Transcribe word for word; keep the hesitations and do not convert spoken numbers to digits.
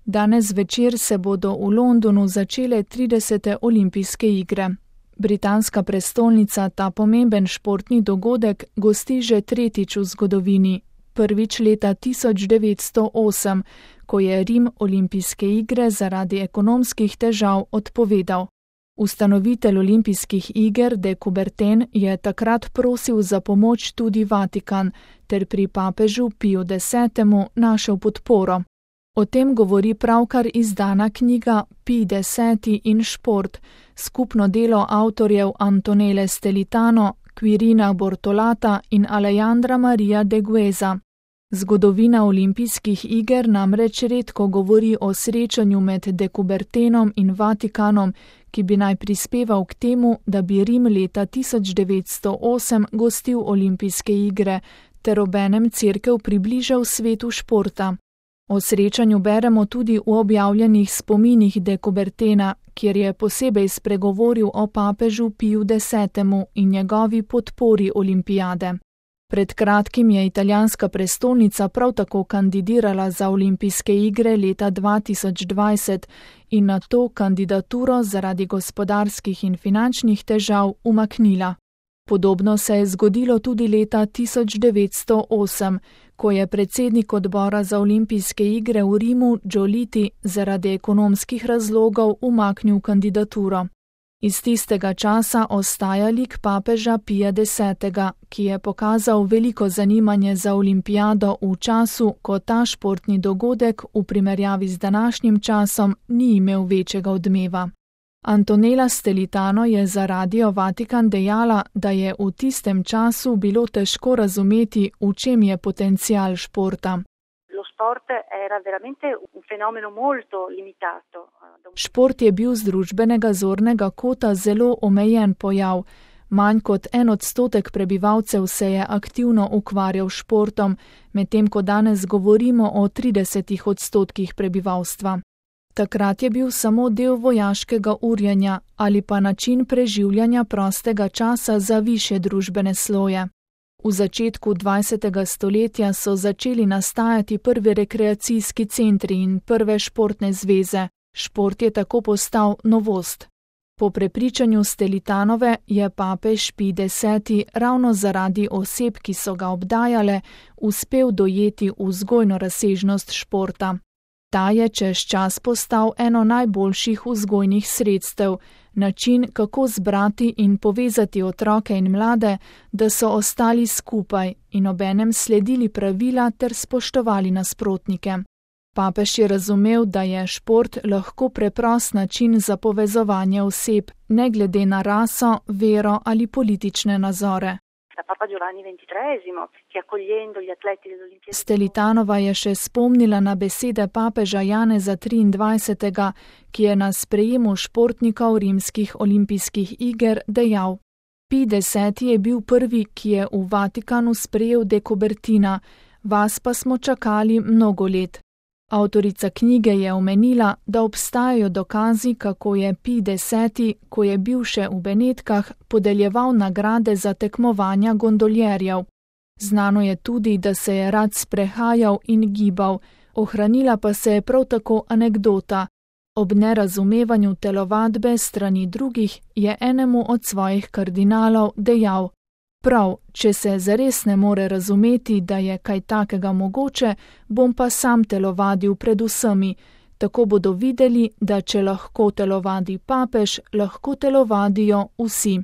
Danes zvečer se bodo v Londonu začele tridesete olimpijske igre. Britanska prestolnica ta pomemben športni dogodek gosti že tretjič v zgodovini, prvič leta tisoč devetsto osem, ko je Rim olimpijske igre zaradi ekonomskih težav odpovedal. Ustanovitelj olimpijskih iger de Coubertin je takrat prosil za pomoč tudi Vatikan, ter pri papežu Piju desetemu našel podporo. O tem govori pravkar izdana knjiga Pij deseti in šport, skupno delo avtorjev Antonele Stelitano, Quirina Bortolata in Alejandra Maria de Gueza. Zgodovina olimpijskih iger namreč redko govori o srečanju med de Coubertinom in Vatikanom, ki bi naj prispeval k temu, da bi Rim leta tisoč devetsto osem gostil olimpijske igre, ter obenem cerkev približal svetu športa. O srečanju beremo tudi v objavljenih spominih de Coubertina, kjer je posebej spregovoril o papežu Piju desetemu in njegovi podpori olimpijade. Pred kratkim je italijanska prestolnica prav tako kandidirala za olimpijske igre leta dva tisoč dvajset in na to kandidaturo zaradi gospodarskih in finančnih težav umaknila. Podobno se je zgodilo tudi leta tisoč devetsto osem, ko je predsednik odbora za olimpijske igre v Rimu Giolitti zaradi ekonomskih razlogov umaknil kandidaturo. Iz tistega časa ostaja lik papeža Pija desetega, ki je pokazal veliko zanimanje za olimpijado v času, ko ta športni dogodek v primerjavi z današnjim časom ni imel večjega odmeva. Antonela Stelitano je za Radio Vatikan dejala, da je v tistem času bilo težko razumeti, v čem je potencial športa. Šport je bil z družbenega zornega kota zelo omejen pojav. Manj kot en odstotek prebivalcev se je aktivno ukvarjal s športom, medtem ko danes govorimo o tridesetih odstotkih prebivalstva. Takrat je bil samo del vojaškega urjenja ali pa način preživljanja prostega časa za višje družbene sloje. V začetku dvajsetega stoletja so začeli nastajati prvi rekreacijski centri in prve športne zveze. Šport je tako postal novost. Po prepričanju Stelitanove je papež Pij deseti ravno zaradi oseb, ki so ga obdajale, uspel dojeti vzgojno razsežnost športa. Ta je čez čas postal eno najboljših vzgojnih sredstev, način, kako zbrati in povezati otroke in mlade, da so ostali skupaj in obenem sledili pravila ter spoštovali nasprotnike. Papež je razumel, da je šport lahko preprost način za povezovanje oseb, ne glede na raso, vero ali politične nazore. Stelitanova je še spomnila na besede papeža Janeza triindvajsetega, ki je na sprejemu športnikov rimskih olimpijskih iger dejal: Pij deseti je bil prvi, ki je v Vatikanu sprejel de Coubertina, vas pa smo čakali mnogo let. Avtorica knjige je omenila, da obstajajo dokazi, kako je Pij deseti, ko je bil še v Benetkah, podeljeval nagrade za tekmovanja gondoljerjev. Znano je tudi, da se je rad sprehajal in gibal, ohranila pa se je prav tako anekdota. Ob nerazumevanju telovadbe strani drugih je enemu od svojih kardinalov dejal: Prav, če se zares ne more razumeti, da je kaj takega mogoče, bom pa sam telovadil pred vsemi. Tako bodo videli, da če lahko telovadi papež, lahko telovadijo vsi.